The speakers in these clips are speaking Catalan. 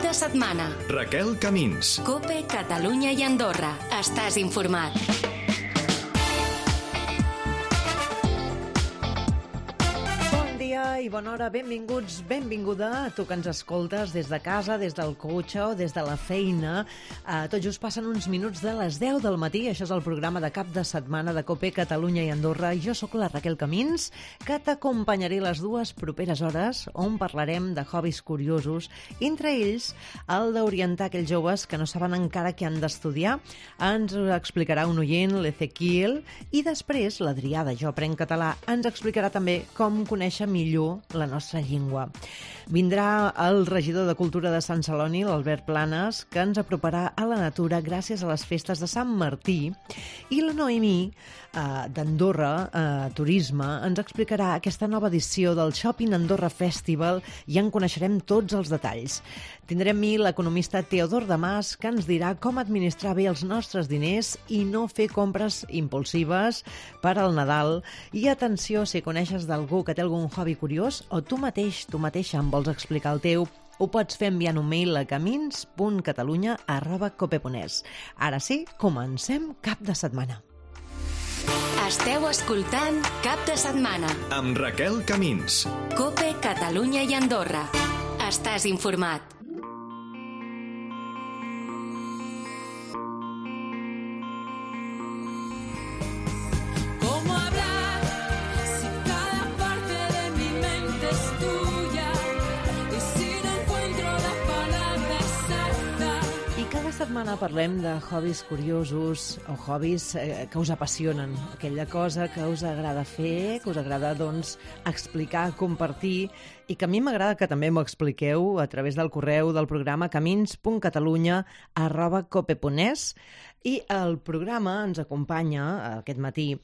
de setmana. Raquel Camins. COPE, Catalunya i Andorra. Estàs informat. I bona hora, benvinguts, benvinguda a tu que ens escoltes des de casa, des del cotxe o des de la feina. Tot just passen uns minuts de les 10 del matí. Això és el programa de cap de setmana de COPE, Catalunya i Andorra. Jo sóc la Raquel Camins, que t'acompanярé les dues properes hores on parlarem de hobbies curiosos, entre ells el d'orientar aquells joves que no saben encara què han d'estudiar. Ens ho explicarà un oient, l'Ezequiel, i després l'Adrià de Jo Aprenc Català ens explicarà també com conèixer millor la nostra llengua. Vindrà el regidor de Cultura de Sant Celoni, l'Albert Planes, que ens aproparà a la natura gràcies a les festes de Sant Martí, i la Noemí d'Andorra Turisme ens explicarà aquesta nova edició del Shopping Andorra Festival i en coneixerem tots els detalls. Tindrem l'economista Teodor Damas, que ens dirà com administrar bé els nostres diners i no fer compres impulsives per al Nadal. I atenció, si coneixes d'algú que té algun hobby curiós o tu mateixa em vols explicar el teu, ho pots fer enviant un mail a camins.catalunya@cope.es. Ara sí, comencem cap de setmana. Esteu escoltant Cap de Setmana amb Raquel Camins. COPE, Catalunya i Andorra. Estàs informat. Setmana parlem de hobbies curiosos o hobbies que us apassionen, aquella cosa que us agrada fer, que us agrada explicar, compartir, i que a mi m'agrada que també m'ho expliqueu a través del correu del programa camins.catalunya@cope.es. I al programa ens acompanya aquest matí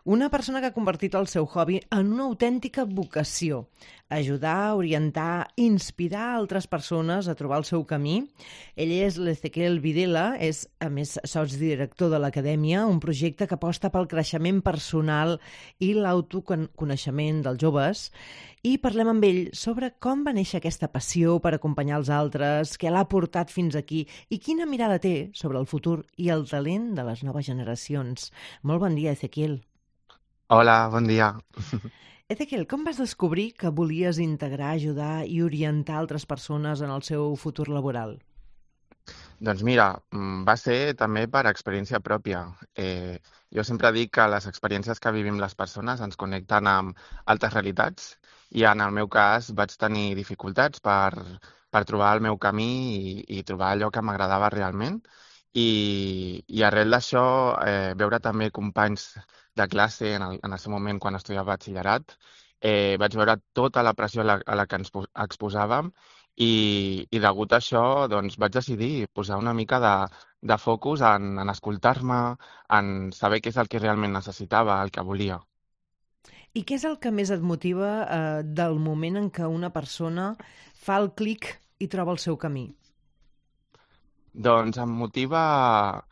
una persona que ha convertit el seu hobby en una autèntica vocació: ajudar, orientar, inspirar altres persones a trobar el seu camí. Ell és l'Ezequiel Videla, és a més sotsdirector de l'Acadèmia, un projecte que aposta pel creixement personal i l'autoconeixement dels joves. I parlem amb ell sobre com va néixer aquesta passió per acompanyar els altres, què l'ha portat fins aquí i quina mirada té sobre el futur i el talent de les noves generacions. Molt bon dia, Ezequiel. Hola, bon dia. Ezequiel, com vas descobrir que volies integrar, ajudar i orientar altres persones en el seu futur laboral? Doncs mira, va ser també per experiència pròpia. Jo sempre dic que les experiències que vivim les persones ens connecten amb altres realitats, i en el meu cas vaig tenir dificultats per trobar el meu camí i trobar allò que m'agradava realment. I arrel d'això, veure també companys de classe en el seu moment quan estudiava batxillerat, vaig veure tota la pressió a la que ens exposàvem i degut a això vaig decidir posar una mica de focus en escoltar-me, en saber què és el que realment necessitava, el que volia. I què és el que més et motiva del moment en què una persona fa el clic i troba el seu camí? Doncs em motiva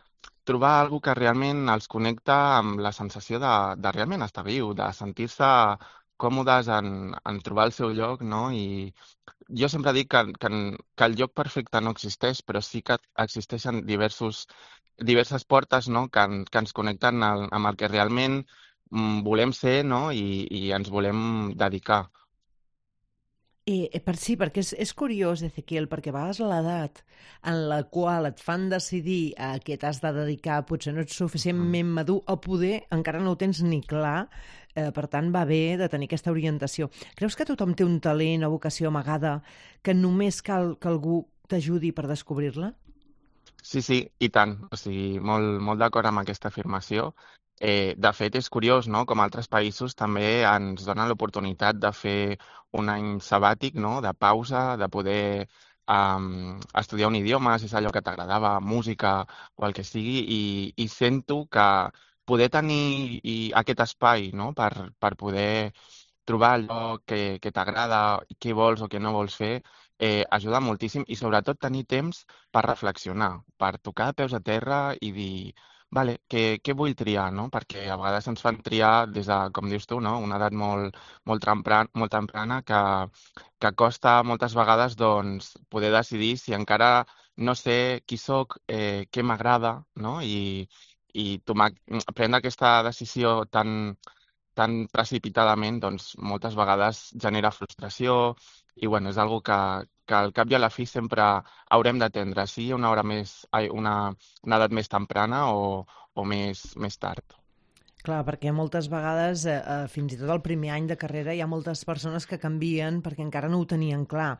trobar alguna que realment els connecta amb la sensació de realment estar viu, de sentir-se còmodes en trobar el seu lloc, no? I jo sempre dic que el lloc perfecte no existeix, però sí que existeixen diverses portes, no? que ens connecten amb el que realment volem ser, no? I ens volem dedicar. Perquè és curiós, Ezequiel, perquè a vegades l'edat en la qual et fan decidir a què t'has de dedicar potser no ets suficientment madur o poder encara no ho tens ni clar, per tant va bé de tenir aquesta orientació. Creus que tothom té un talent o vocació amagada que només cal que algú t'ajudi per descobrir-la? Sí, i tant. O sigui, molt d'acord amb aquesta afirmació. De fet, és curiós, no?, com altres països també ens donen l'oportunitat de fer un any sabàtic, no?, de pausa, de poder estudiar un idioma, si és allò que t'agradava, música o el que sigui, i sento que poder tenir aquest espai, no?, per poder trobar allò que t'agrada, què vols o què no vols fer, ajuda moltíssim, i sobretot tenir temps per reflexionar, per tocar de peus a terra i dir: vale, què vull triar, no? Perquè a vegades ens fan triar des de, com dius tu, no? Una edat molt temprana que costa moltes vegades doncs, poder decidir si encara no sé qui sóc, què m'agrada, no? I prendre aquesta decisió tan precipitadament, doncs moltes vegades genera frustració i bueno, és algo que al cap i a la fi sempre haurem d'atendre, sí, una edat més temprana o més tard. Clar, perquè moltes vegades, fins i tot el primer any de carrera, hi ha moltes persones que canvien perquè encara no ho tenien clar.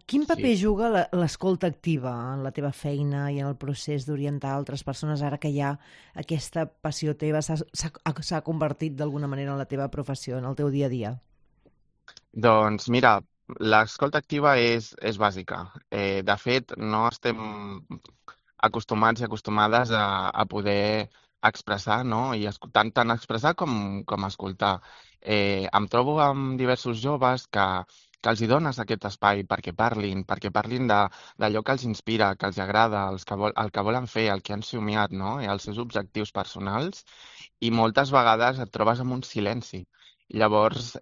Quin paper Sí. juga l'escolta activa en la teva feina i en el procés d'orientar altres persones ara que ja aquesta passió teva s'ha convertit d'alguna manera en la teva professió, en el teu dia a dia? Doncs mira, l'escolta activa és bàsica. De fet, no estem acostumats i acostumades a poder expressar, no? I tant expressar com escoltar. Em trobo amb diversos joves que els hi dones aquest espai perquè parlin d'allò que els inspira, que els agrada, el que volen fer, el que han somiat, no? I els seus objectius personals, i moltes vegades et trobes amb un silenci. Llavors,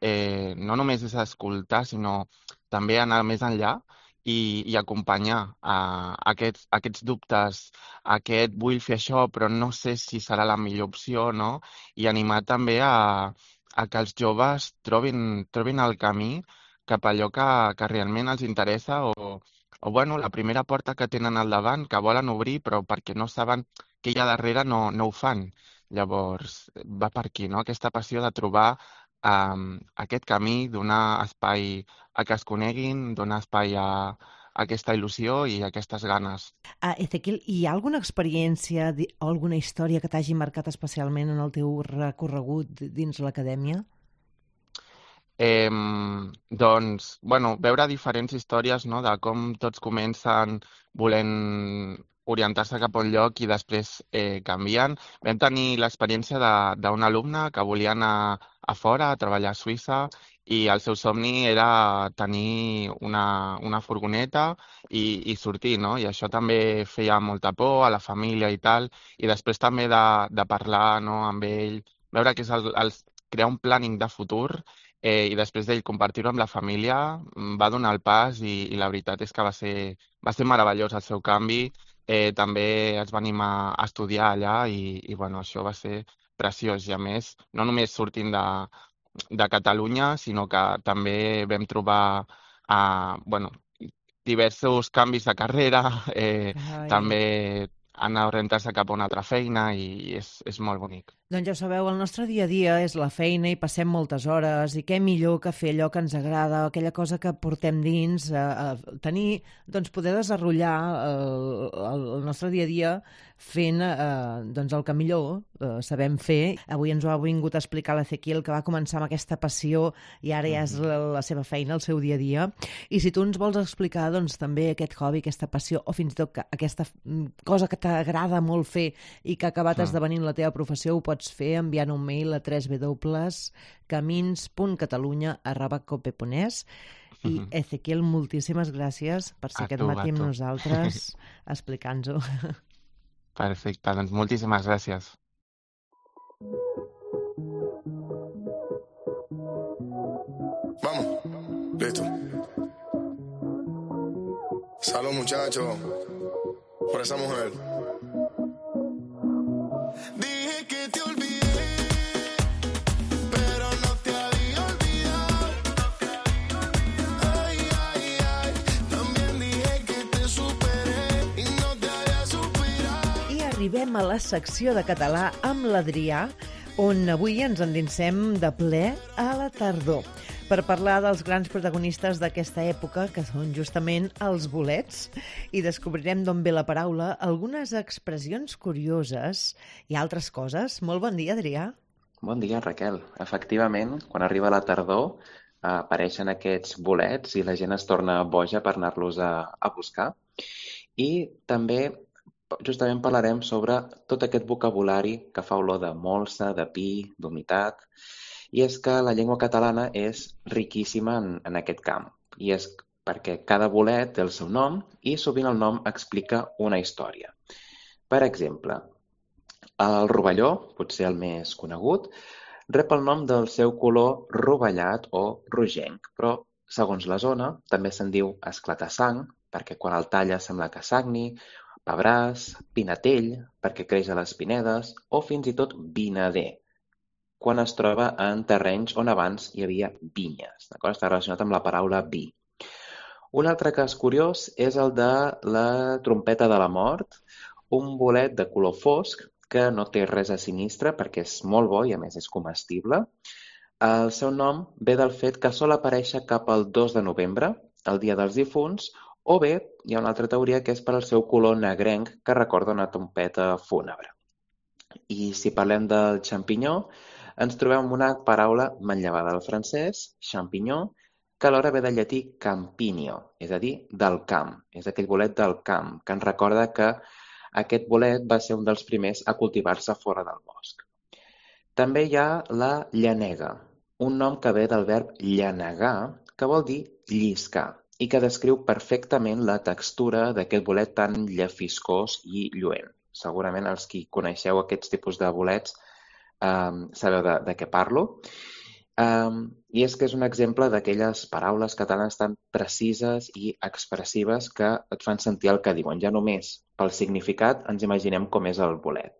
no només és escoltar, sinó també anar més enllà i acompanyar aquests dubtes, vull fer això, però no sé si serà la millor opció, no? I animar també a que els joves trobin el camí cap a allò que realment els interessa o bueno, la primera porta que tenen al davant, que volen obrir, però perquè no saben què hi ha darrere no ho fan. Llavors, va per aquí, no? Aquesta passió de trobar aquest camí, donar espai a que es coneguin, donar espai a aquesta il·lusió i aquestes ganes. Ezequiel, hi ha alguna experiència o alguna història que t'hagi marcat especialment en el teu recorregut dins l'acadèmia? Doncs, bueno, veure diferents històries, no?, de com tots comencen volent orientar-se cap a un lloc i després canvien. Vam tenir l'experiència d'un alumne que volia anar a fora a treballar a Suïssa i el seu somni era tenir una furgoneta i sortir, no? I això també feia molta por a la família i tal, i després també de parlar, no?, amb ell, veure que és crear un planning de futur i després d'ell compartir-ho amb la família, va donar el pas i la veritat és que va ser meravellós el seu canvi. També es va animar a estudiar allà i bueno, això va ser preciós. I a més, no només sortint de Catalunya, sinó que també vam trobar bueno, diversos canvis de carrera, també anar a orientar-se cap a una altra feina i és molt bonic. Doncs ja ho sabeu, el nostre dia a dia és la feina i passem moltes hores i què millor que fer allò que ens agrada, aquella cosa que portem dins, tenir, doncs poder desenvolupar el nostre dia a dia fent doncs el que millor sabem fer. Avui ens ho ha vingut a explicar l'Ezequiel, que va començar amb aquesta passió i ara ja és la seva feina, el seu dia a dia. I si tu ens vols explicar doncs també aquest hobby, aquesta passió o fins i tot aquesta cosa que t'agrada molt fer i que ha acabat esdevenint la teva professió, ho pots fer enviant un mail a www.camins.catalunya@cope.es. I Ezequiel, moltíssimes gràcies per ser aquest matí amb nosaltres explicant-nos-ho. Perfecte, doncs moltíssimes gràcies. Vamos, listo. Salud, muchachos, por esa mujer. Dije que te olvidé, pero no te había olvidado. Ay, ay, ay, también dije que te superé y no te había superado. I arribem a la secció de català amb l'Adrià, on avui ens endinsem de ple a la tardor per parlar dels grans protagonistes d'aquesta època, que són justament els bolets, i descobrirem d'on ve la paraula, algunes expressions curioses i altres coses. Molt bon dia, Adrià. Bon dia, Raquel. Efectivament, quan arriba la tardor, apareixen aquests bolets i la gent es torna boja per anar-los a buscar. I també justament parlarem sobre tot aquest vocabulari que fa olor de molsa, de pi, d'humitat. I és que la llengua catalana és riquíssima en aquest camp. I és perquè cada bolet té el seu nom i sovint el nom explica una història. Per exemple, El rovelló, potser el més conegut, rep el nom del seu color rovellat o rogenc, però segons la zona també se'n diu esclatar-sang, perquè quan el talla sembla que sagni, pebràs, pinatell, perquè creix a les pinedes, o fins i tot vinader, quan es troba en terrenys on abans hi havia vinyes. D'acord? Està relacionat amb la paraula vi. Un altre cas curiós és el de la trompeta de la mort, un bolet de color fosc que no té res a sinistre perquè és molt bo i a més és comestible. El seu nom ve del fet que sol aparèixer cap al 2 de novembre, el dia dels difunts, o bé hi ha una altra teoria que és per al seu color negrenc que recorda una trompeta fúnebre. I si parlem del xampinyó, ens trobem amb una paraula manllevada del francès, champignon, que alhora ve del llatí campinio, és a dir, del camp. És aquell bolet del camp, que ens recorda que aquest bolet va ser un dels primers a cultivar-se fora del bosc. També hi ha la llanega, un nom que ve del verb llanegar, que vol dir lliscar, i que descriu perfectament la textura d'aquest bolet tan llefiscós i lluent. Segurament els qui coneixeu aquests tipus de bolets sabeu de què parlo. I és que és un exemple d'aquelles paraules catalanes tan precises i expressives que et fan sentir el que diuen. Ja només pel significat ens imaginem com és el bolet.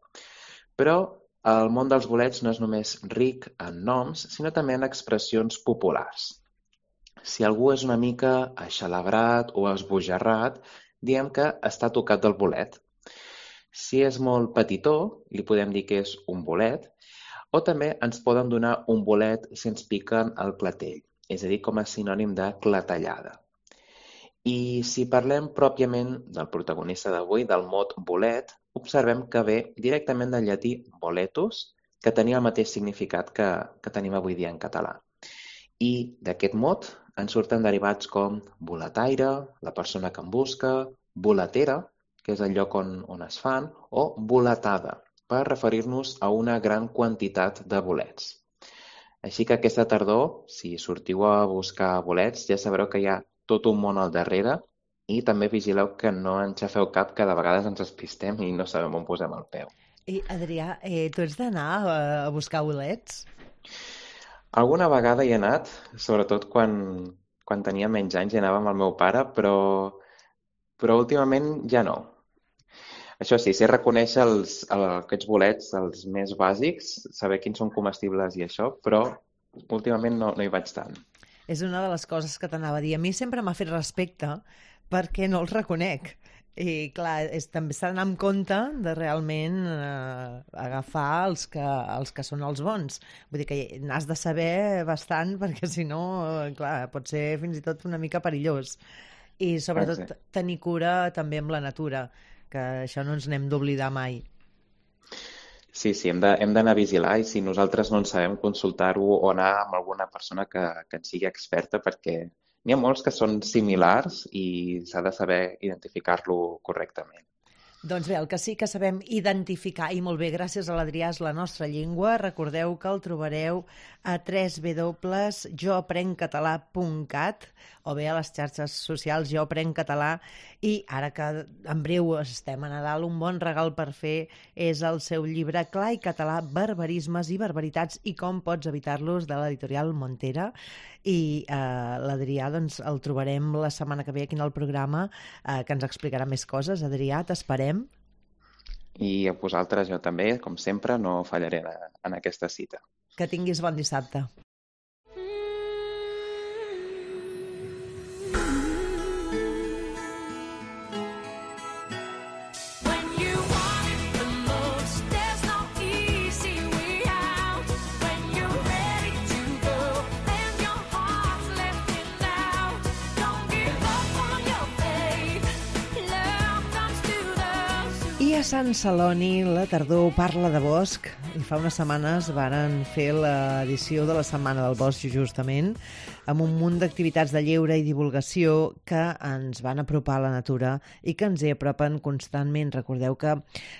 Però el món dels bolets no és només ric en noms, sinó també en expressions populars. Si algú és una mica aixalabrat o esbojarrat, diem que està tocat del bolet. Si és molt petitó, li podem dir que és un bolet, o també ens poden donar un bolet si ens piquen el clatell, és a dir, com a sinònim de clatellada. I si parlem pròpiament del protagonista d'avui, del mot bolet, observem que ve directament del llatí boletus, que tenia el mateix significat que tenim avui dia en català. I d'aquest mot en surten derivats com boletaire, la persona que en busca, boletera, que és el lloc on es fan, o boletada, per referir-nos a una gran quantitat de bolets. Així que aquesta tardor, si sortiu a buscar bolets, ja sabreu que hi ha tot un món al darrere i també vigileu que no enxafeu cap, que de vegades ens despistem i no sabem on posem el peu. I, Adrià, tu ets d'anar a buscar bolets? Alguna vegada hi he anat, sobretot quan tenia menys anys i anava amb el meu pare, però últimament ja no. Això sí, sé reconèixer aquests bolets, els més bàsics, saber quins són comestibles i això, però últimament no hi vaig tant. És una de les coses que t'anava a dir. A mi sempre m'ha fet respecte perquè no els reconec. I clar, també s'ha d'anar amb compte de realment agafar els que són els bons. Vull dir que n'has de saber bastant perquè si no, clar, pot ser fins i tot una mica perillós. I sobretot tenir cura també amb la natura, que això no ens n'hem d'oblidar mai. Sí, hem d'anar a vigilar i si nosaltres no en sabem, consultar-ho o anar amb alguna persona que en sigui experta, perquè n'hi ha molts que són similars i s'ha de saber identificar-lo correctament. Doncs bé, el que sí que sabem identificar, i molt bé, gràcies a l'Adrià, és la nostra llengua. Recordeu que el trobareu a www.joaprencatalà.cat o bé a les xarxes socials Jo Aprenc Català. I ara que en breu estem a Nadal, un bon regal per fer és el seu llibre Clar i català, barbarismes i barbaritats i com pots evitar-los, de l'editorial Montera. I l'Adrià doncs, el trobarem la setmana que ve aquí en el programa, que ens explicarà més coses. Adrià, t'esperem. I a vosaltres, jo també, com sempre, no fallaré en aquesta cita. Que tinguis bon dissabte. A Sant Celoni la tardor parla de bosc i fa unes setmanes varen fer l'edició de la Setmana del Bosc justament amb un munt d'activitats de lleure i divulgació que ens van apropar a la natura i que ens hi apropen constantment. Recordeu que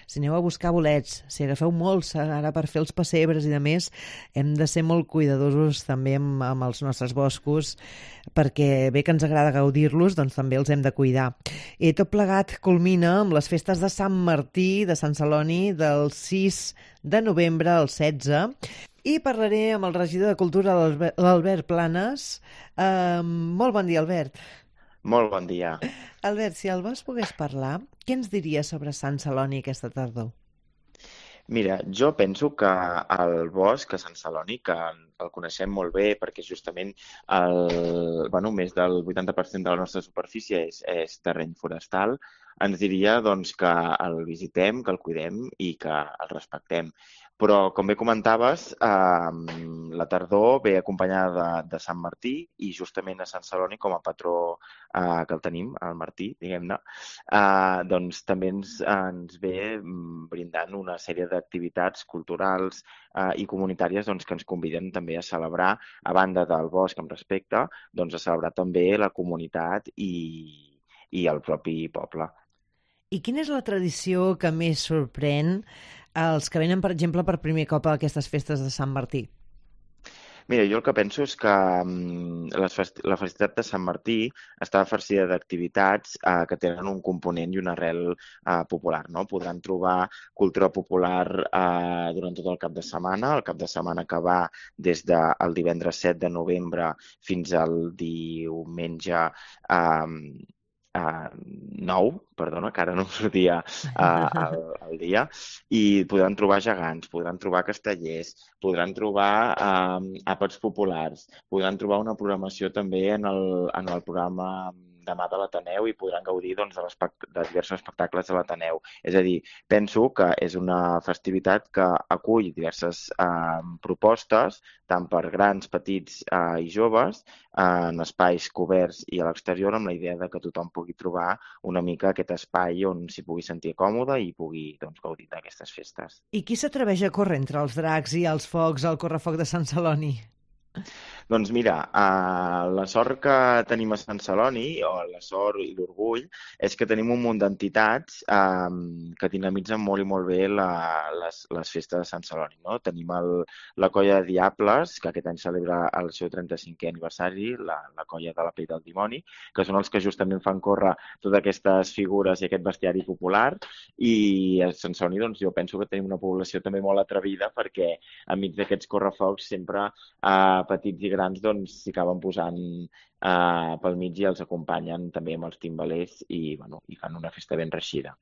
si aneu a buscar bolets, si agafeu molts ara per fer els pessebres i de més, hem de ser molt cuidadosos també amb els nostres boscos, perquè bé que ens agrada gaudir-los, doncs també els hem de cuidar. I tot plegat culmina amb les festes de Sant Martí, de Sant Celoni, del 6 de novembre al 16, i parlaré amb el regidor de Cultura, l'Albert Planes. Molt bon dia, Albert. Molt bon dia. Albert, si el Bosc pogués parlar, què ens diria sobre Sant Celoni aquesta tardor? Mira, jo penso que el bosc a Sant Celoni, que el coneixem molt bé perquè justament més del 80% de la nostra superfície és terreny forestal, ens diria doncs, que el visitem, que el cuidem i que el respectem. Però, com bé comentaves, la tardor ve acompanyada de Sant Martí i justament a Sant Celoni com a patró que el tenim, el Martí, diguem-ne, doncs també ens ve brindant una sèrie d'activitats culturals i comunitàries doncs, que ens conviden també a celebrar, a banda del bosc amb respecte, doncs a celebrar també la comunitat i el propi poble. I quina és la tradició que més sorprèn els que venen, per exemple, per primer cop a aquestes festes de Sant Martí? Mira, jo el que penso és que la festivitat de Sant Martí està farcida d'activitats que tenen un component i una arrel popular, no? Podran trobar cultura popular durant tot el cap de setmana, el cap de setmana que va des del divendres 7 de novembre fins al diumenge 9, perdona, que ara no em sortia el dia, i podran trobar gegants, podran trobar castellers, podran trobar àpats populars, podran trobar una programació també en el programa demà de l'Ateneu i podran gaudir doncs, de diversos espectacles de l'Ateneu. És a dir, penso que és una festivitat que acull diverses propostes, tant per grans, petits i joves, en espais coberts i a l'exterior, amb la idea de que tothom pugui trobar una mica aquest espai on s'hi pugui sentir còmode i pugui gaudir d'aquestes festes. I qui s'atreveix a córrer entre els dracs i els focs al correfoc de Sant Celoni? Doncs mira, la sort que tenim a Sant Celoni, o la sort i l'orgull, és que tenim un munt d'entitats que dinamitzen molt i molt bé les festes de Sant Celoni. No? Tenim la Colla de Diables, que aquest any celebra el seu 35è aniversari, la Colla de la Pell del Dimoni, que són els que justament fan córrer totes aquestes figures i aquest bestiari popular. I a Sant Celoni doncs, jo penso que tenim una població també molt atrevida perquè enmig d'aquests correfocs sempre petits i grans doncs s'hi acaben posant pel mig i els acompanyen també amb els timbalers i fan una festa ben reeixida.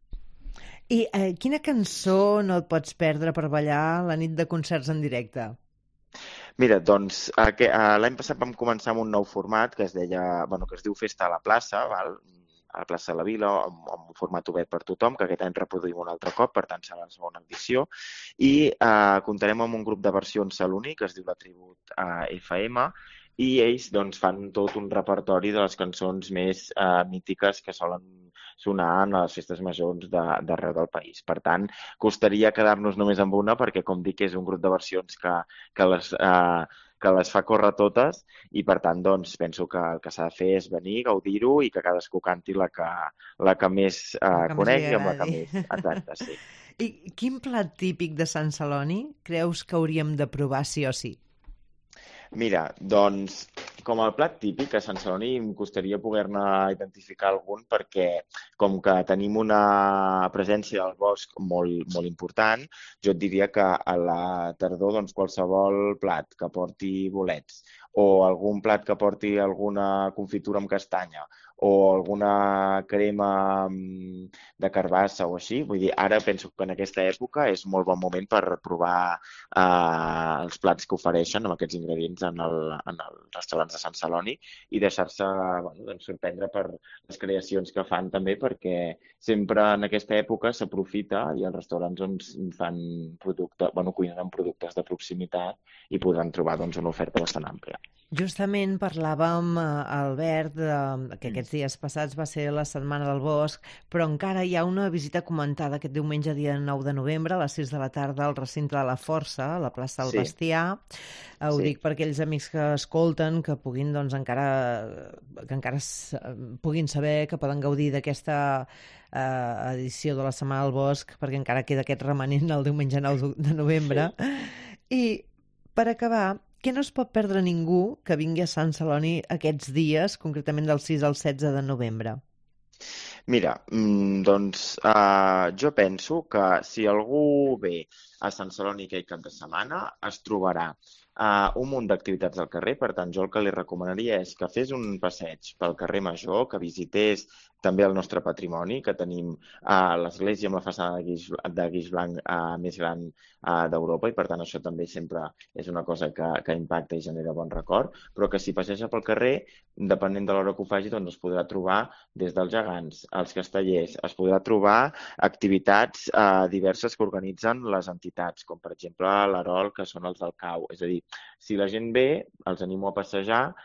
I quina cançó no et pots perdre per ballar la nit de concerts en directe? Mira, doncs l'any passat vam començar amb un nou format que es diu Festa a la plaça, val? A la plaça de la Vila, amb un format obert per tothom, que aquest any reproduïm un altre cop, per tant serà la segona edició, i comptarem amb un grup de versions saloní que es diu La Tribut FM, i ells doncs, fan tot un repertori de les cançons més mítiques que solen sonar en les festes majors d'arreu del país. Per tant, costaria quedar-nos només amb una, perquè, com dic, és un grup de versions que les fa córrer totes i, per tant, doncs, penso que el que s'ha de fer és venir, gaudir-ho i que cadascú canti la que més conegui amb la que més... Exacte, sí. I quin plat típic de Sant Celoni creus que hauríem de provar sí o sí? Mira, doncs, com el plat típic, a Sant Celoni em costaria poder-ne identificar algun perquè, com que tenim una presència del bosc molt, molt important, jo et diria que a la tardor doncs, qualsevol plat que porti bolets o algun plat que porti alguna confitura amb castanya o alguna crema de carbassa o així. Vull dir, ara penso que en aquesta època és molt bon moment per provar els plats que ofereixen amb aquests ingredients en els restaurants de Sant Celoni i deixar-se sorprendre per les creacions que fan també, perquè sempre en aquesta època s'aprofita i els restaurants fan cuinen amb productes de proximitat i podran trobar una oferta bastant àmplia. Justament parlàvem, Albert, que aquests dies passats va ser la Setmana del Bosc, però encara hi ha una visita comentada aquest diumenge, dia 9 de novembre, a les 6 de la tarda, al recinte de la Força, a la plaça del Bestiar. Ho dic per aquells amics que escolten, que puguin, doncs, encara puguin saber que poden gaudir d'aquesta edició de la Setmana del Bosc, perquè encara queda aquest remanent el diumenge 9 de novembre. I, per acabar, què no es pot perdre ningú que vingui a Sant Celoni aquests dies, concretament del 6 al 16 de novembre? Mira, doncs jo penso que si algú ve a Sant Celoni aquell cap de setmana es trobarà un munt d'activitats al carrer. Per tant, jo el que li recomanaria és que fes un passeig pel carrer Major, que visités també el nostre patrimoni, que tenim l'església amb la façana de guix blanc més gran d'Europa, i per tant això també sempre és una cosa que impacta i genera bon record, però que si passeja pel carrer, depenent de l'hora que ho faci, doncs es podrà trobar des dels gegants, als castellers, es podrà trobar activitats diverses que organitzen les entitats, com per exemple l'Arol, que són els del CAU. És a dir, si la gent ve, els animo a passejar,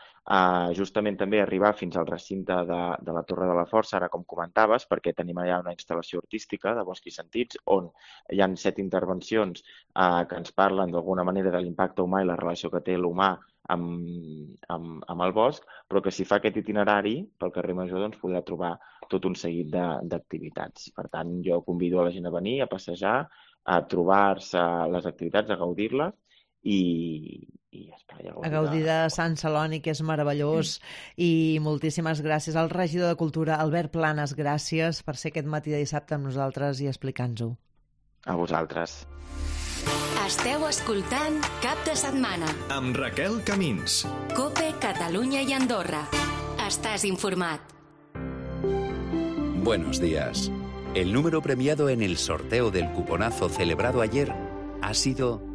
justament també arribar fins al recinte de la Torre de la Força, ara com comentaves, perquè tenim allà una instal·lació artística de Bosc i Sentits, on hi ha 7 intervencions que ens parlen d'alguna manera de l'impacte humà i la relació que té l'humà amb el bosc, però que si fa aquest itinerari pel carrer Major doncs podrà trobar tot un seguit d'activitats. Per tant, jo convido a la gent a venir, a passejar, a trobar-se les activitats, a gaudir-les i ja està. A gaudir de Sant Celoni, que és meravellós, i moltíssimes gràcies al regidor de Cultura, Albert Planas. Gràcies per ser aquest matí de dissabte amb nosaltres i explicar-nos-ho. A vosaltres. Esteu escoltant Cap de Setmana amb Raquel Camins. COPE Catalunya i Andorra. Estàs informat. Buenos días. El número premiado en el sorteo del cuponazo celebrado ayer ha sido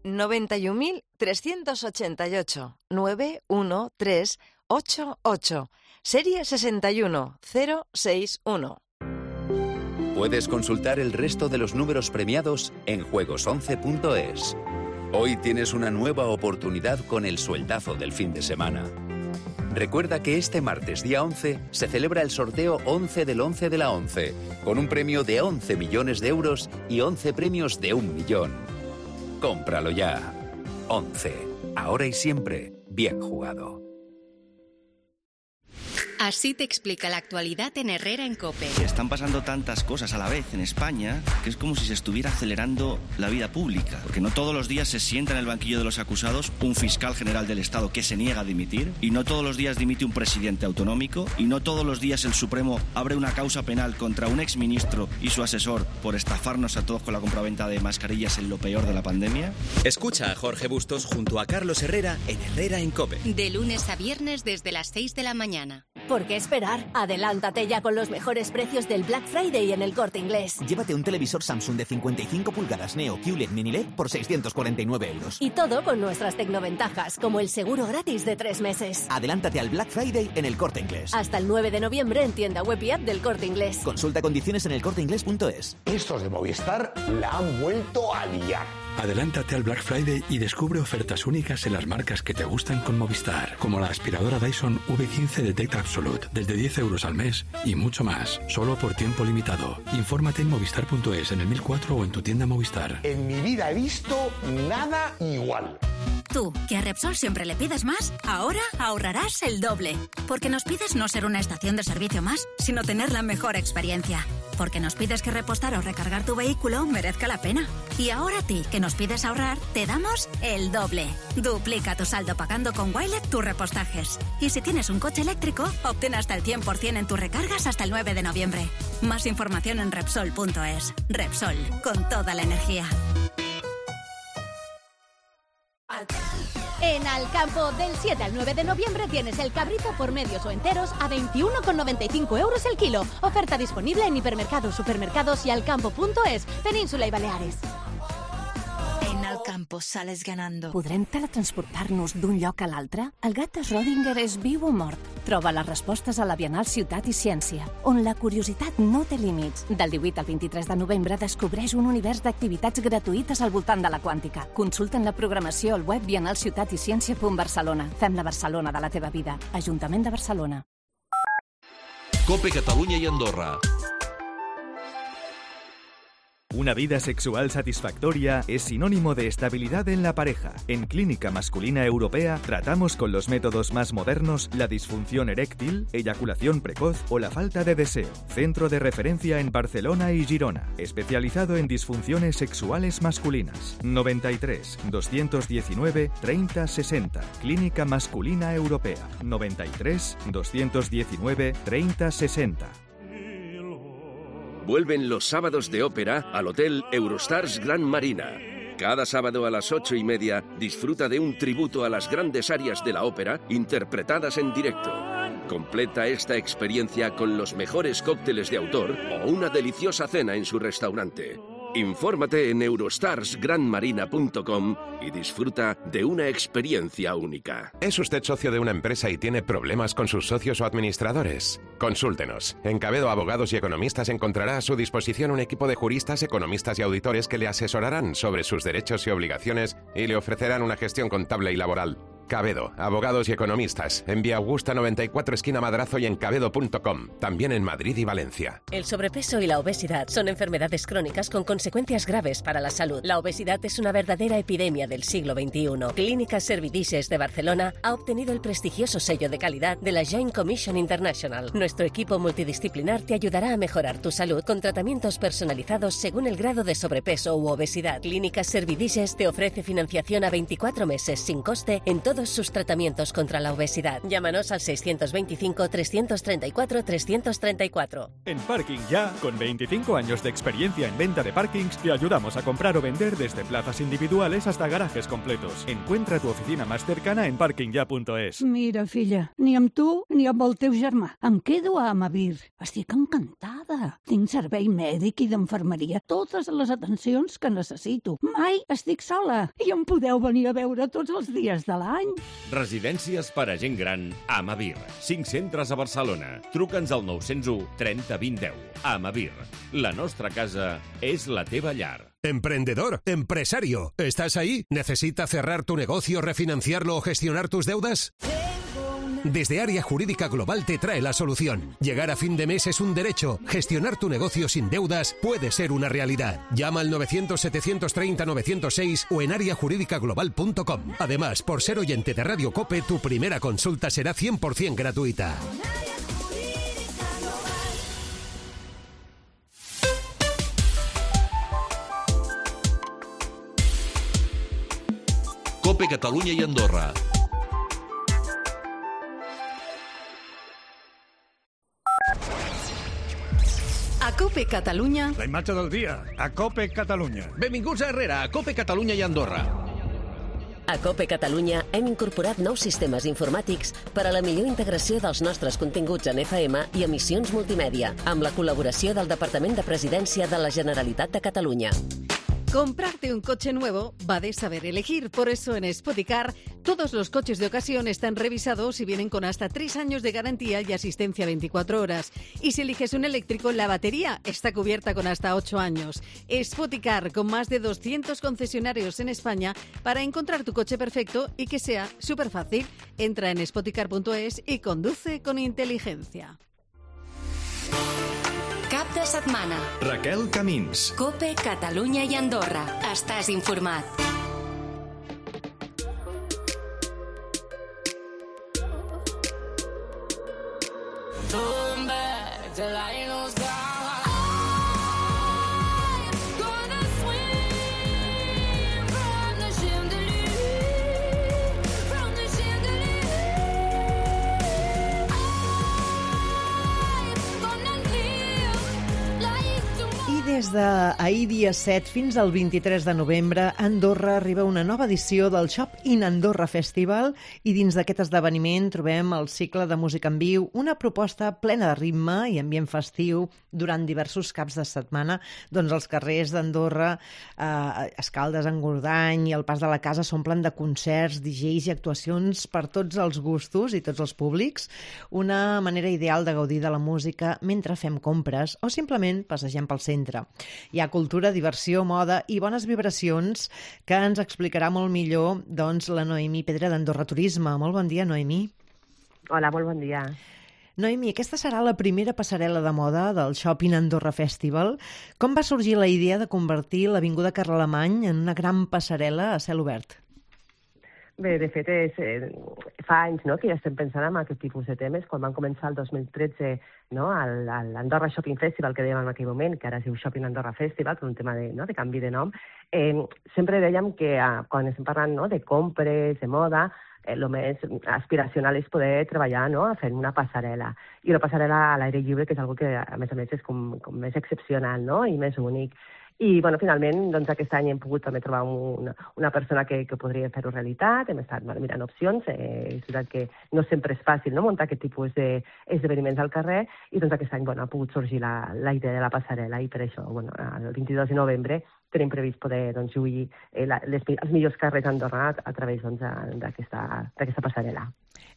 91.388 91388, serie 61061. Puedes consultar el resto de los números premiados en juegos11.es. Hoy tienes una nueva oportunidad con el sueldazo del fin de semana. Recuerda que este martes, día 11, se celebra el sorteo 11 del 11 de la 11, con un premio de 11 millones de euros y 11 premios de 1 millón. Cómpralo ya. 11. Ahora y siempre, bien jugado. Así te explica la actualidad en Herrera en COPE. Están pasando tantas cosas a la vez en España que es como si se estuviera acelerando la vida pública. Porque no todos los días se sienta en el banquillo de los acusados un fiscal general del Estado que se niega a dimitir, y no todos los días dimite un presidente autonómico, y no todos los días el Supremo abre una causa penal contra un exministro y su asesor por estafarnos a todos con la compraventa de mascarillas en lo peor de la pandemia. Escucha a Jorge Bustos junto a Carlos Herrera en Herrera en COPE. De lunes a viernes desde las 6 de la mañana. ¿Por qué esperar? Adelántate ya con los mejores precios del Black Friday en El Corte Inglés. Llévate un televisor Samsung de 55 pulgadas Neo QLED Mini LED por 649 euros. Y todo con nuestras tecnoventajas, como el seguro gratis de 3 meses. Adelántate al Black Friday en El Corte Inglés. Hasta el 9 de noviembre en tienda web y app del Corte Inglés. Consulta condiciones en elcorteinglés.es. Estos de Movistar la han vuelto a liar. Adelántate al Black Friday y descubre ofertas únicas en las marcas que te gustan con Movistar, como la aspiradora Dyson V15 Detect Absolute, desde 10 euros al mes y mucho más, solo por tiempo limitado. Infórmate en movistar.es, en el 1004 o en tu tienda Movistar. En mi vida he visto nada igual. Tú, que a Repsol siempre le pides más, ahora ahorrarás el doble. Porque nos pides no ser una estación de servicio más, sino tener la mejor experiencia. Porque nos pides que repostar o recargar tu vehículo merezca la pena. Y ahora a ti, que nos pides ahorrar, te damos el doble. Duplica tu saldo pagando con Wilet tus repostajes. Y si tienes un coche eléctrico, obtén hasta el 100% en tus recargas hasta el 9 de noviembre. Más información en Repsol.es. Repsol, con toda la energía. En Alcampo, del 7 al 9 de noviembre tienes el cabrito por medios o enteros a 21,95 euros el kilo. Oferta disponible en hipermercados, supermercados y alcampo.es, Península y Baleares. En Alcampo campo sales ganando. Podrem teletransportar-nos d'un lloc a l'altre? El gat de Schrödinger és viu o mort? Troba les respostes a la Bienal Ciutat i Ciència, on la curiositat no té límits. Del 18 al 23 de novembre descobreix un univers d'activitats gratuïtes al voltant de la quàntica. Consulta'n la programació al web bienalciutaticiència.barcelona. Fem la Barcelona de la teva vida. Ajuntament de Barcelona. COPE Catalunya y Andorra. Una vida sexual satisfactoria es sinónimo de estabilidad en la pareja. En Clínica Masculina Europea tratamos con los métodos más modernos la disfunción eréctil, eyaculación precoz o la falta de deseo. Centro de referencia en Barcelona y Girona, especializado en disfunciones sexuales masculinas. 93 219 30 60. Clínica Masculina Europea. 93 219 30 60. Vuelven los sábados de ópera al Hotel Eurostars Gran Marina. Cada sábado a las 8:30 disfruta de un tributo a las grandes arias de la ópera interpretadas en directo. Completa esta experiencia con los mejores cócteles de autor o una deliciosa cena en su restaurante. Infórmate en eurostarsgranmarina.com y disfruta de una experiencia única. ¿Es usted socio de una empresa y tiene problemas con sus socios o administradores? Consúltenos. En Cabedo Abogados y Economistas encontrará a su disposición un equipo de juristas, economistas y auditores que le asesorarán sobre sus derechos y obligaciones y le ofrecerán una gestión contable y laboral. Cabedo, Abogados y Economistas, en Vía Augusta 94 esquina Madrazo y en cabedo.com, también en Madrid y Valencia. El sobrepeso y la obesidad son enfermedades crónicas con consecuencias graves para la salud. La obesidad es una verdadera epidemia del siglo XXI. Clínicas Servidices de Barcelona ha obtenido el prestigioso sello de calidad de la Joint Commission International. Nuestro equipo multidisciplinar te ayudará a mejorar tu salud con tratamientos personalizados según el grado de sobrepeso u obesidad. Clínicas Servidices te ofrece financiación a 24 meses sin coste en todos sus tratamientos contra la obesidad. Llámanos al 625-334-334. En Parking Ya, con 25 años de experiencia en venta de parkings, te ayudamos a comprar o vender desde plazas individuales hasta garajes completos. Encuentra tu oficina más cercana en parkingya.es. Mira, filla, ni amb tu ni amb el teu germà. Em quedo a Amavir. Estic encantada. Tinc servei mèdic i d'infermeria, totes les atencions que necessito. Mai estic sola i em podeu venir a veure tots els dies de l'any. Residències per a gent gran Amavir. 5 centres a Barcelona. Truca'ns al 901 30 20 10. Amavir. La nostra casa és la teva llar. Emprendedor, empresario, ¿estás ahí? ¿Necesitas cerrar tu negocio, refinanciarlo o gestionar tus deudas? Desde Área Jurídica Global te trae la solución. Llegar a fin de mes es un derecho. Gestionar tu negocio sin deudas puede ser una realidad. Llama al 900-730-906 o en areajurídicaglobal.com. Además, por ser oyente de Radio COPE, tu primera consulta será 100% gratuita. COPE Catalunya y Andorra. A COPE Catalunya... La imatge del dia, a COPE Catalunya. Benvinguts a Herrera, a COPE Catalunya i Andorra. A COPE Catalunya hem incorporat nous sistemes informàtics per a la millor integració dels nostres continguts en FM i emissions multimèdia, amb la col·laboració del Departament de Presidència de la Generalitat de Catalunya. Comprarte un coche nuevo va de saber elegir. Por eso en Spoticar todos los coches de ocasión están revisados y vienen con hasta 3 años de garantía y asistencia 24 horas. Y si eliges un eléctrico, la batería está cubierta con hasta 8 años. Spoticar, con más de 200 concesionarios en España para encontrar tu coche perfecto y que sea súper fácil. Entra en spoticar.es y conduce con inteligencia. Cap de setmana. Raquel Camins. COPE Catalunya i Andorra. Estàs informat. des d'ahir dia 7 fins al 23 de novembre, a Andorra arriba una nova edició del Shop in Andorra Festival i dins d'aquest esdeveniment trobem el cicle de música en viu, una proposta plena de ritme i ambient festiu durant diversos caps de setmana. Doncs els carrers d'Andorra, Escaldes, Engordany i el Pas de la Casa s'omplen de concerts, DJs i actuacions per tots els gustos i tots els públics. Una manera ideal de gaudir de la música mentre fem compres o simplement passegem pel centre. Hi ha cultura, diversió, moda i bones vibracions que ens explicarà molt millor doncs, la Noemí Pedra d'Andorra Turisme. Molt bon dia, Noemí. Hola, molt bon dia. Noemí, aquesta serà la primera passarel·la de moda del Shopping Andorra Festival. Com va sorgir la idea de convertir l'Avinguda Carlemany en una gran passarel·la a cel obert? Bé, de fet, fa anys que ja estem pensant en aquest tipus de temes. Quan van començar el 2013 l'Andorra Shopping Festival, que dèiem en aquell moment, que ara es diu Shopping Andorra Festival, per un tema de canvi de nom, sempre dèiem que quan estem parlant de compres, de moda, el més aspiracional és poder treballar fent una passarel·la. I una passarel·la a l'aire lliure, que és una que, a més, és com més excepcional i més únic. I, finalment, aquest any hem pogut també trobar una persona que podria fer-ho realitat. Hem estat mirant opcions. És veritat que no sempre és fàcil muntar aquest tipus d'esdeveniments al carrer i aquest any ha pogut sorgir la idea de la passarel·la i per això, el 22 de novembre tenim previst poder lluir els millors carrers d'Andorra a través d'aquesta passarel·la.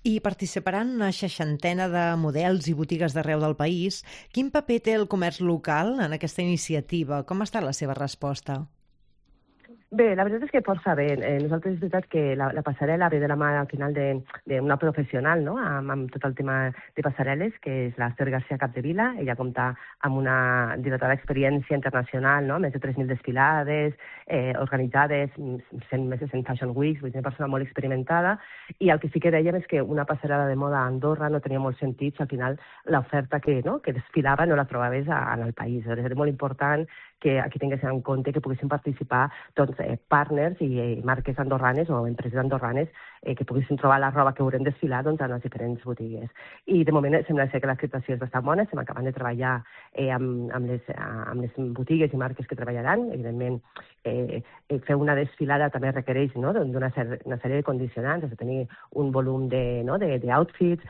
I participaran una 60 de models i botigues d'arreu del país. Quin paper té el comerç local en aquesta iniciativa? Com ha estat la seva resposta? Bé, la veritat és que força bé. Nosaltres és veritat que la passarel·la ve de la mà al final d'una professional amb tot el tema de passarel·les, que és l'Ester García Capdevila. Ella compta amb una dilatada experiència internacional, més de 3.000 desfilades organitzades, més de 100 Fashion Weeks, vull dir, una persona molt experimentada. I el que sí que dèiem és que una passarel·la de moda a Andorra no tenia molt sentit si al final l'oferta que desfilava no la trobaves en el país. És molt important que aquí tinguessin en compte que poguessin participar partners i marques andorranes o empreses andorranes que poguessin trobar la roba que haurem desfilar en les diferents botigues. I de moment sembla ser que l'acceptació és bastant bona. Estem acabant de treballar amb les botigues i marques que treballaran. Evidentment, fer una desfilada també requereix d'una sèrie de condicionants, has de tenir un volum d'outfits,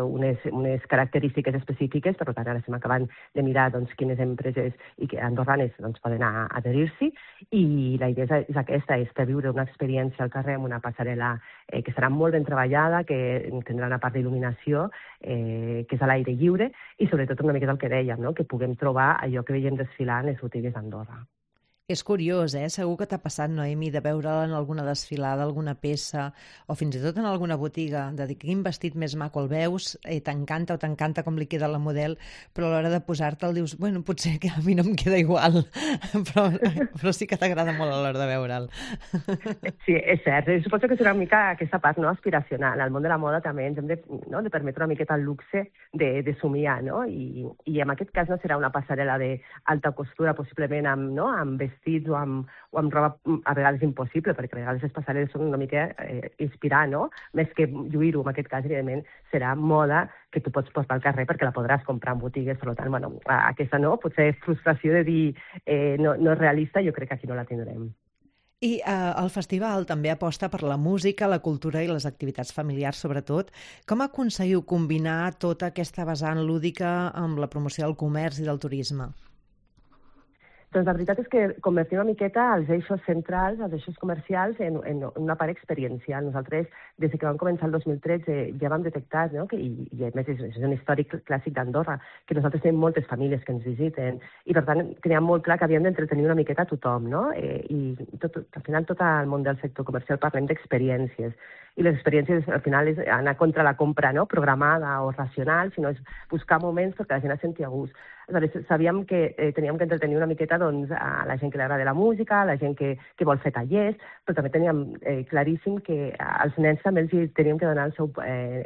unes característiques específiques. Per tant, ara estem acabant de mirar quines empreses andorranes poden adherir-s'hi, i la idea és aquesta, és per viure una experiència al carrer amb una passarel·la que serà molt ben treballada, que tindrà una part d'il·luminació, que és a l'aire lliure, i sobretot una miqueta el que dèiem, que puguem trobar allò que veiem desfilar en les botigues d'Andorra. És curiós, Segur que t'ha passat, Noemí, de veure-la en alguna desfilada, alguna peça, o fins i tot en alguna botiga, de dir quin vestit més maco el veus, t'encanta com li queda la model, però a l'hora de posar-te'l dius, potser que a mi no em queda igual, però sí que t'agrada molt a l'hora de veure'l. Sí, és cert. Suposo que serà una mica aquesta part aspiracional. Al món de la moda també ens hem de permetre una miqueta el luxe de somiar, i en aquest cas no serà una passarel·la d'alta costura, possiblement amb vestits o amb roba a vegades impossible, perquè a vegades les passarel·les són una mica inspirar, més que lluir-ho. En aquest cas, evidentment, serà moda que tu pots portar al carrer perquè la podràs comprar en botigues. Per tant, aquesta potser frustració de dir no és realista, jo crec que aquí no la tindrem. I el festival també aposta per la música, la cultura i les activitats familiars, sobretot. Com aconseguiu combinar tota aquesta vessant lúdica amb la promoció del comerç i del turisme? Doncs la veritat és que convertim una miqueta els eixos centrals, els eixos comercials, en una part experiencial. Nosaltres, des que vam començar el 2013, ja vam detectar, i a més és un històric clàssic d'Andorra, que nosaltres tenim moltes famílies que ens visiten, i per tant teníem molt clar que havíem d'entretenir una miqueta a tothom, i al final tot el món del sector comercial parlem d'experiències, i les experiències al final és anar contra la compra programada o racional, sinó és buscar moments perquè la gent es senti a gust. Aleshores, sabíem que teníem que entretenir una miqueta a la gent que li agrada la música, a la gent que vol fer tallers, però també teníem claríssim que als nens també els teníem que donar el seu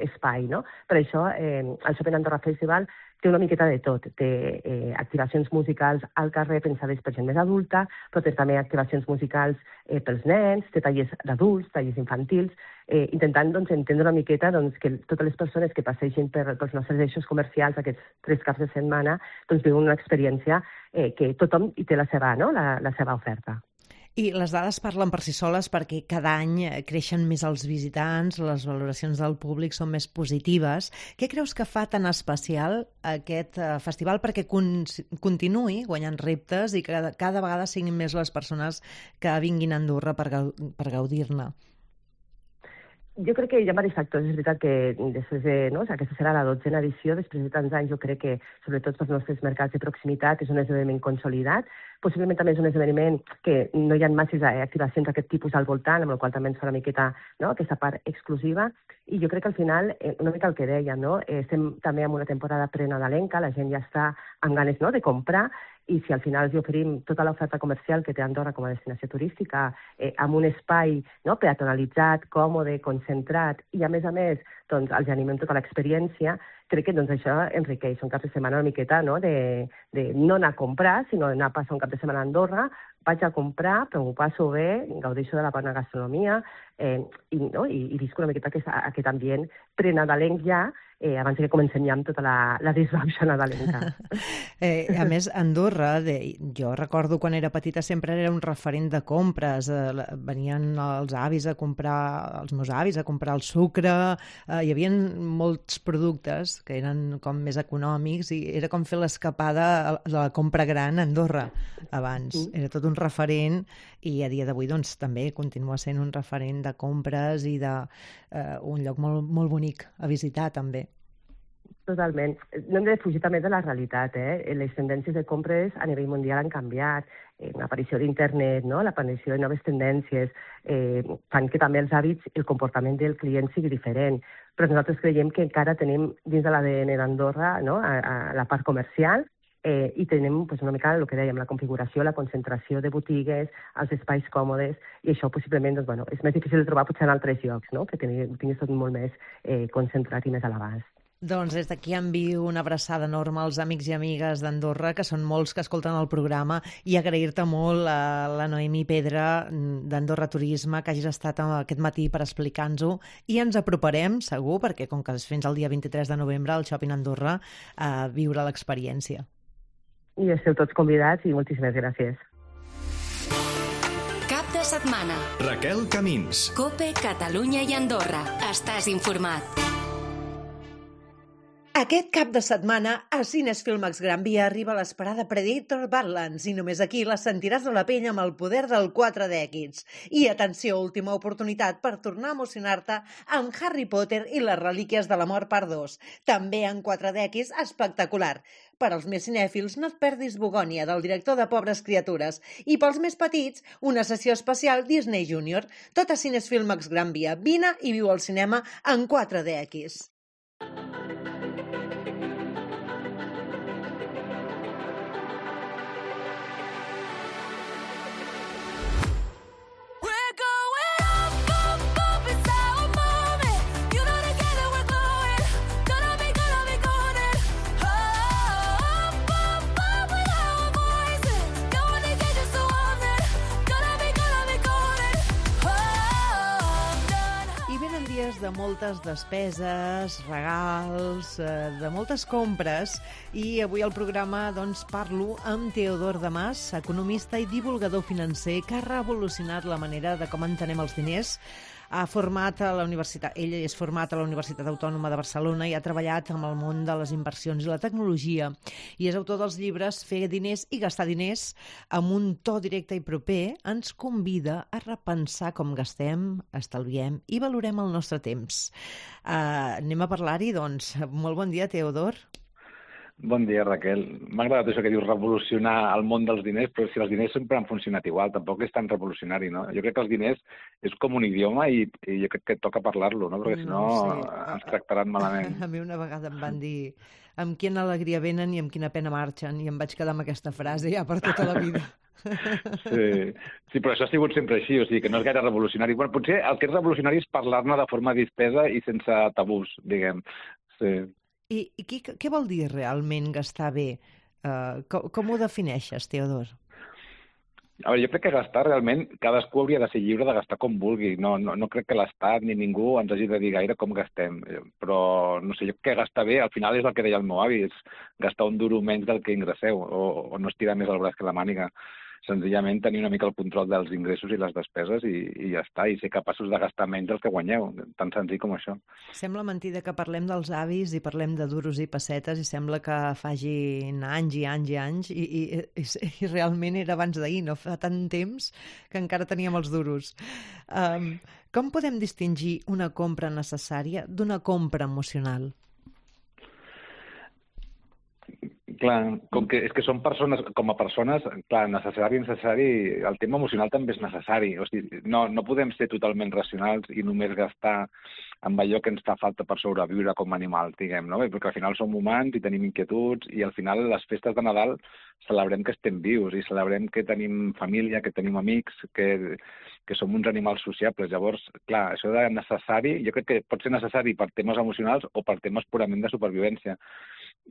espai. Per això, el Shopping Andorra Festival té una miqueta de tot. Té activacions musicals al carrer pensades per gent més adulta, però té també activacions musicals pels nens, té tallers d'adults, tallers infantils, intentant entendre una miqueta que totes les persones que passegin pels nostres eixos comercials aquests 3 caps de setmana viuen una experiència que tothom hi té la seva oferta. I les dades parlen per si soles perquè cada any creixen més els visitants, les valoracions del públic són més positives. Què creus que fa tan especial aquest festival perquè continuï guanyant reptes i que cada vegada siguin més les persones que vinguin a Andorra per gaudir-ne? Jo crec que hi ha diversos factors. És veritat que després aquesta serà la 12a edició, després de tants anys jo crec que, sobretot pels nostres mercats de proximitat, és un esdeveniment consolidat. Possiblement també és un esdeveniment que no hi ha masses activacions d'aquest tipus al voltant, amb el qual també ens fa una miqueta aquesta part exclusiva. I jo crec que al final, una mica el que deia, estem també en una temporada prenadalenca, la gent ja està amb ganes de comprar, i si al final els oferim tota l'oferta comercial que té Andorra com a destinació turística, amb un espai peatonalitzat, còmode, concentrat, i a més els animem tota l'experiència, crec que això enriqueix un cap de setmana una miqueta de no anar a comprar, sinó d'anar a passar un cap de setmana a Andorra, vaig a comprar, però m'ho passo bé, gaudeixo de la bona gastronomia i visc una miqueta aquest ambient prenadalenc ja, abans que comencem ja amb tota la disbauxa nadalenca. A més, Andorra, jo recordo quan era petita sempre era un referent de compres. Venien els avis a comprar, els meus avis a comprar el sucre, hi havia molts productes que eren com més econòmics i era com fer l'escapada de la compra gran a Andorra abans. Era tot un referent i a dia d'avui també continua sent un referent de compres i d'un lloc molt, molt bonic a visitar també. Totalment. No hem de fugir també de la realitat. Les tendències de compres a nivell mundial han canviat. L'aparició d'internet, l'aparició de noves tendències, fan que també els hàbits i el comportament del client sigui diferent. Però nosaltres creiem que encara tenim dins de l'ADN d'Andorra a la part comercial i tenim una mica el que dèiem, la configuració, la concentració de botigues, els espais còmodes, i això possiblement és més difícil de trobar potser en altres llocs, que tinguis tot molt més concentrat i més a l'abast. Doncs des d'aquí envio una abraçada enorme als amics i amigues d'Andorra, que són molts que escolten el programa, i agrair-te molt a la Noemí Pedra d'Andorra Turisme que hagis estat aquest matí per explicar-nos-ho, i ens aproparem, segur, perquè com que és fins al dia 23 de novembre al Shopping Andorra, a viure l'experiència. I esteu tots convidats i moltíssimes gràcies. Cap de setmana. Raquel Camins. COPE, Catalunya i Andorra. Estàs informat. Aquest cap de setmana a Cines Filmax Gran Via arriba l'esperada Predator Badlands i només aquí la sentiràs a la pell amb el poder del 4DX. I atenció, última oportunitat per tornar a emocionar-te amb Harry Potter i les relíquies de la mort part 2. També en 4DX espectacular. Per als més cinèfils, no et perdis Bogònia, del director de Pobres Criatures. I pels més petits, una sessió especial Disney Junior. Tot a Cines Filmax Gran Via. Vine i viu el cinema en 4DX. De moltes despeses, regals, de moltes compres, i avui al programa parlo amb Teodor Damas, economista i divulgador financer que ha revolucionat la manera de com entenem els diners. Ell és format a la Universitat Autònoma de Barcelona i ha treballat amb el món de les inversions i la tecnologia, i és autor dels llibres Fer diners i gastar diners. Amb un to directe i proper ens convida a repensar com gastem, estalviem i valorem el nostre temps. Anem a parlar-hi, doncs. Molt bon dia, Teodor. Bon dia, Raquel. M'ha agradat això que dius revolucionar el món dels diners, però si els diners sempre han funcionat igual, tampoc és tan revolucionari, no? Jo crec que els diners és com un idioma i jo crec que toca parlar-lo, no? Perquè si no ens tractaran malament. A mi una vegada em van dir amb quina alegria venen i amb quina pena marxen, i em vaig quedar amb aquesta frase ja per tota la vida. Sí, però això ha sigut sempre així, o sigui que no és gaire revolucionari. Bueno, potser el que és revolucionari és parlar-ne de forma dispesa i sense tabús, diguem. Sí. I què vol dir realment gastar bé? Com ho defineixes, Teodor? A veure, jo crec que gastar realment, cadascú hauria de ser lliure de gastar com vulgui. No crec que l'Estat ni ningú ens hagi de dir gaire com gastem. Però, no sé, jo crec que gastar bé, al final és el que deia el meu avi, és gastar un duro menys del que ingresseu, o no estirar més el braç que la màniga. Senzillament tenir una mica el control dels ingressos i les despeses i ja està, i ser capaços de gastar menys del que guanyeu, tan senzill com això. Sembla mentida que parlem dels avis i parlem de duros i pessetes i sembla que fagin anys i anys i anys i realment era abans d'ahir, no fa tant temps que encara teníem els duros. Com podem distingir una compra necessària d'una compra emocional? Clar, com que és que som persones, com a persones, clar, necessari, el tema emocional també és necessari. O sigui, no podem ser totalment racionals i només gastar amb allò que ens fa falta per sobreviure com a animals, diguem, no? Perquè al final som humans i tenim inquietuds i al final les festes de Nadal celebrem que estem vius i celebrem que tenim família, que tenim amics, que som uns animals sociables. Llavors, clar, això de necessari, jo crec que pot ser necessari per temes emocionals o per temes purament de supervivència.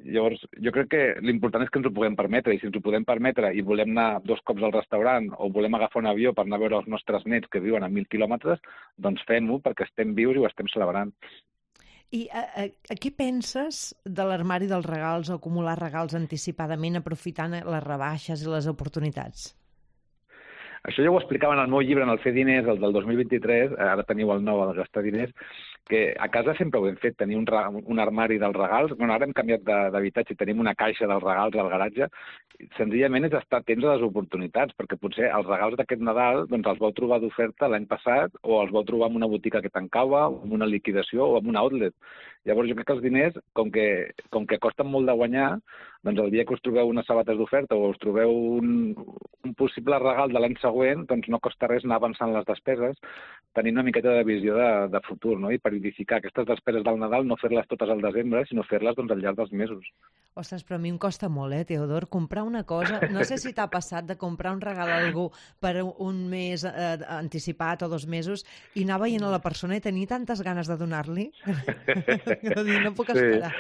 Llavors, jo crec que l'important és que ens ho puguem permetre, i si ens ho podem permetre i volem anar 2 cops al restaurant o volem agafar un avió per anar a veure els nostres nets que viuen a 1.000 quilòmetres, doncs fem-ho perquè estem vius i ho estem celebrant. I què penses de l'armari dels regals o acumular regals anticipadament aprofitant les rebaixes i les oportunitats? Això ja ho explicava en el meu llibre, en el Fer diners, el del 2023, ara teniu el nou, el gastar diners, que a casa sempre ho hem fet, tenir un armari dels regals. Bueno, ara hem canviat d'habitatge i tenim una caixa dels regals al garatge. Senzillament és estar atents a les oportunitats, perquè potser els regals d'aquest Nadal doncs els vau trobar d'oferta l'any passat o els vau trobar en una botiga que tancava, o en una liquidació o en un outlet. Llavors jo crec que els diners, com que costen molt de guanyar, doncs el dia que us trobeu unes sabates d'oferta o us trobeu un possible regal de l'any següent, doncs no costa res anar avançant les despeses, tenint una miqueta de visió de futur, no? I periodificar aquestes despeses del Nadal, no fer-les totes al desembre, sinó fer-les doncs, al llarg dels mesos. Ostres, però a mi em costa molt, Teodor, comprar una cosa. No sé si t'ha passat de comprar un regal a algú per un mes anticipat o 2 mesos i anar veient a la persona i tenir tantes ganes de donar-li que no puc esperar.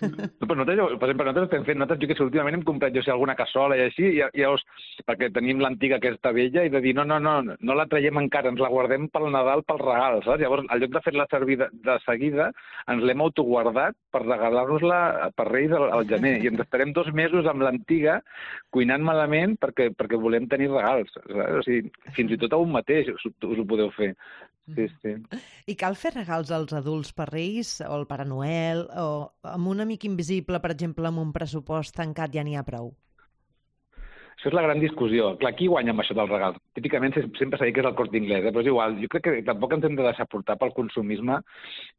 Però nosaltres estem fent, jo que últimament hem comprat, alguna cassola i així, i llavors, perquè tenim l'antiga aquesta vella, i de dir, no la traiem encara, ens la guardem pel Nadal, pel regal, saps? Llavors, al lloc de fer-la servir de seguida, ens l'hem autoguardat per regalar-nos-la per Reis al gener, i ens estarem 2 mesos amb l'antiga cuinant malament perquè volem tenir regals. Saps? O sigui, fins i tot a un mateix us ho podeu fer. Sí. I cal fer regals als adults per Reis o al Pare Noel o amb un amic invisible, per exemple, amb un pressupost tancat ja n'hi ha prou? Això és la gran discussió. Clar, qui guanya amb això dels regals? Típicament sempre s'ha dit que és el Corte Inglés, però és igual. Jo crec que tampoc ens hem de deixar portar pel consumisme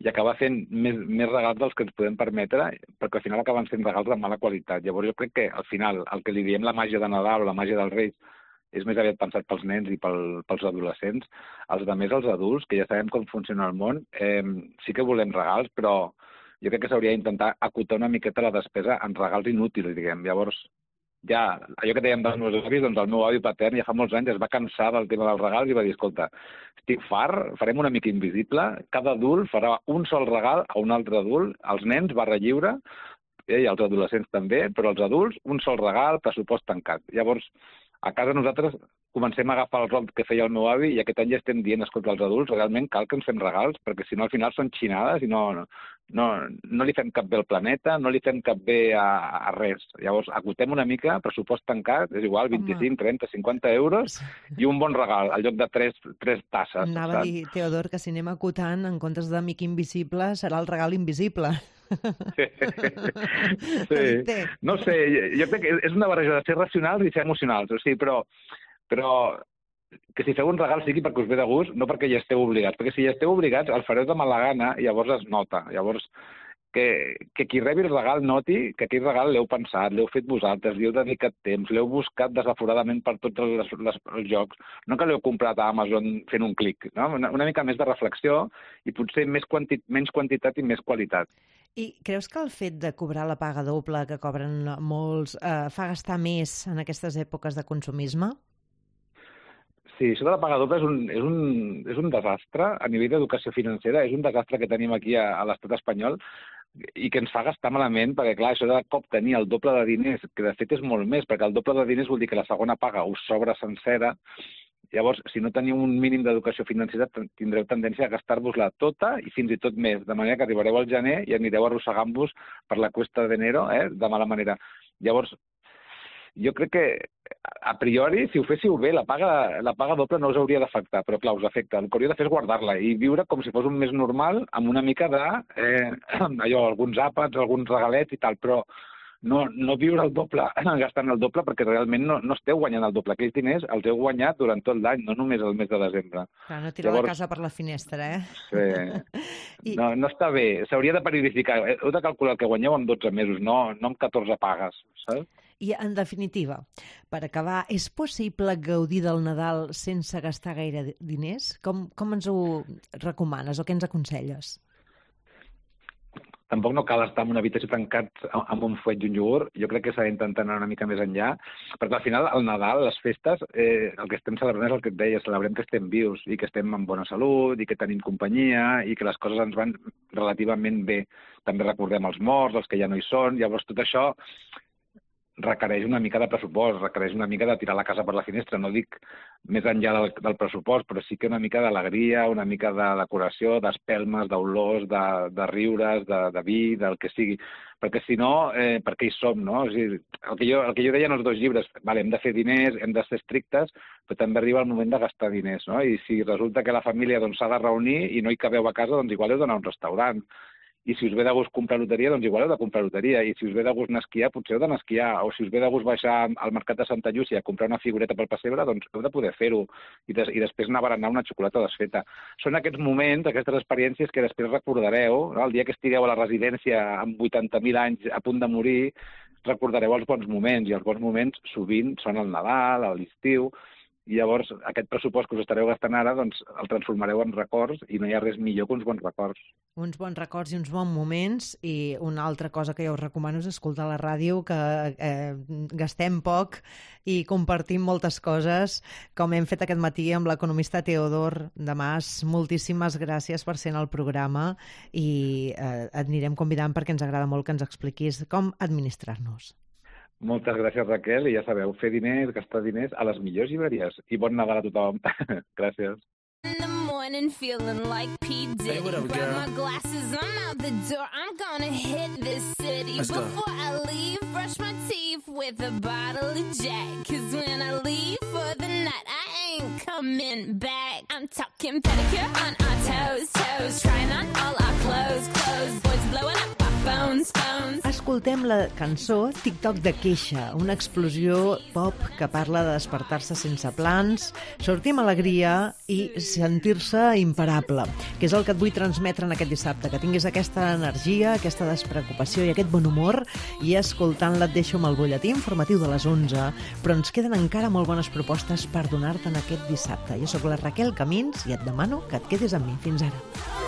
i acabar fent més regals dels que ens podem permetre, perquè al final acaben sent regals de mala qualitat. Llavors jo crec que al final el que li diem la màgia de Nadal o la màgia dels Reis és més aviat pensat pels nens i pels adolescents. Els altres, els adults, que ja sabem com funciona el món, sí que volem regals, però jo crec que s'hauria d'intentar acotar una miqueta la despesa en regals inútils, diguem. Llavors, ja, allò que dèiem dels meus avis, doncs el meu avi patern ja fa molts anys es va cansar del tema dels regals i va dir, escolta, estic fart, farem una mica invisible, cada adult farà un sol regal a un altre adult, els nens barra lliure, i els adolescents també, però els adults un sol regal, pressupost tancat. Llavors, a casa nosaltres comencem a agafar el rol que feia el meu avi i aquest any ja estem dient, escolta, els adults realment cal que ens fem regals, perquè si no al final són xinades i no li fem cap bé al planeta, no li fem cap bé a res. Llavors, acotem una mica, pressupost tancat, és igual, 25, 30, 50 euros i un bon regal, al lloc de 3 tasses. Anava a dir, Teodor, que si anem acotant, en comptes d'amic invisible, serà el regal invisible. Sí. No sé, jo crec que és una barreja de ser racionals i ser emocionals, o sigui, però que si feu un regal sigui perquè us ve de gust, no perquè hi esteu obligats, perquè si hi esteu obligats el fareu de mala gana i llavors es nota. Llavors, que qui rebi el regal noti que aquell regal l'heu pensat, l'heu fet vosaltres, li heu dedicat temps, l'heu buscat desaforadament per tots els jocs, no que l'heu comprat a Amazon fent un clic, no? Una mica més de reflexió i potser menys quantitat i més qualitat. I creus que el fet de cobrar la paga doble que cobren molts fa gastar més en aquestes èpoques de consumisme? Sí, això de la paga doble és un desastre a nivell d'educació financera, és un desastre que tenim aquí a l'estat espanyol. i que ens fa gastar malament, perquè clar, això de cop tenir el doble de diners, que de fet és molt més, perquè el doble de diners vol dir que la segona paga us sobra sencera. Llavors, si no teniu un mínim d'educació financera, tindreu tendència a gastar-vos-la tota i fins i tot més, de manera que arribareu al gener i anireu arrossegant-vos per la cuesta d'enero, de mala manera. Llavors, jo crec que, a priori, si ho féssiu bé, la paga doble no us hauria d'afectar, però clar, us afecta. El que hauria de fer és guardar-la i viure com si fos un mes normal, amb una mica de, alguns àpats, alguns regalets i tal, però no viure el doble, gastant el doble, perquè realment no esteu guanyant el doble. Aquells diners els heu guanyat durant tot l'any, no només el mes de desembre. Clar, no tirar la casa per la finestra, Sí. No està bé. S'hauria de periodificar. Heu de calcular el que guanyeu en 12 mesos, no amb 14 pagues, saps? I, en definitiva, per acabar, és possible gaudir del Nadal sense gastar gaire diners? Com ens ho recomanes o què ens aconselles? Tampoc no cal estar en una habitació tancat amb un fuet i un iogurt. Jo crec que s'ha d'intentar anar una mica més enllà, perquè al final el Nadal, les festes, el que estem celebrant és el que et deia, celebrem que estem vius i que estem amb bona salut i que tenim companyia i que les coses ens van relativament bé. També recordem els morts, els que ja no hi són, llavors tot això requereix una mica de pressupost, requereix una mica de tirar la casa per la finestra. No dic més enllà del pressupost, però sí que una mica d'alegria, una mica de decoració, d'espelmes, d'olors, de riures, de vi, del que sigui. Perquè si no, per què hi som, no? O sigui, el que jo deia en els 2 llibres, vale, hem de fer diners, hem de ser estrictes, però també arriba el moment de gastar diners, no? I si resulta que la família s'ha de reunir i no hi cabeu a casa, doncs igual heu d'anar a un restaurant. I si us ve de gust comprar loteria, doncs igual heu de comprar loteria. I si us ve de gust anar a esquiar, potser heu d'anar a esquiar. O si us ve de gust baixar al mercat de Santa Llúcia a comprar una figureta pel pessebre, doncs heu de poder fer-ho. I després anar a berenar una xocolata desfeta. Són aquests moments, aquestes experiències que després recordareu, no? El dia que estigueu a la residència amb 80.000 anys a punt de morir, recordareu els bons moments. I els bons moments sovint són el Nadal, l'estiu. I llavors aquest pressupost que us estareu gastant ara doncs el transformareu en records i no hi ha res millor que uns bons records. Uns bons records i uns bons moments, i una altra cosa que jo us recomano és escoltar la ràdio, que gastem poc i compartim moltes coses, com hem fet aquest matí amb l'economista Teodor de Mas. Moltíssimes gràcies per ser en el programa i et anirem convidant perquè ens agrada molt que ens expliquis com administrar-nos. Moltes gràcies, Raquel, i ja sabeu, fer diners, gastar diners a les millors llibreries. I bon Nadal a tothom. Gràcies. In the morning feeling like P. Diddy. Hey, what up, girl? Grab my glasses, I'm out the door. I'm gonna hit this city. Let's Before go. I leave, brush my teeth with a bottle of Jack. 'Cause when I leave for the night, I ain't coming back. I'm talking pedicure on our toes, toes. Trying on all our clothes, clothes. Boys blowing up our phones, phones. Escoltem la cançó TikTok de queixa, una explosió pop que parla de despertar-se sense plans, sortir amb alegria i sentir-se imparable, que és el que et vull transmetre en aquest dissabte, que tinguis aquesta energia, aquesta despreocupació i aquest bon humor, i escoltant-la et deixo amb el butlletí informatiu de les 11, però ens queden encara molt bones propostes per donar-te'n aquest dissabte. Jo sóc la Raquel Camins i et demano que et quedis amb mi. Fins ara.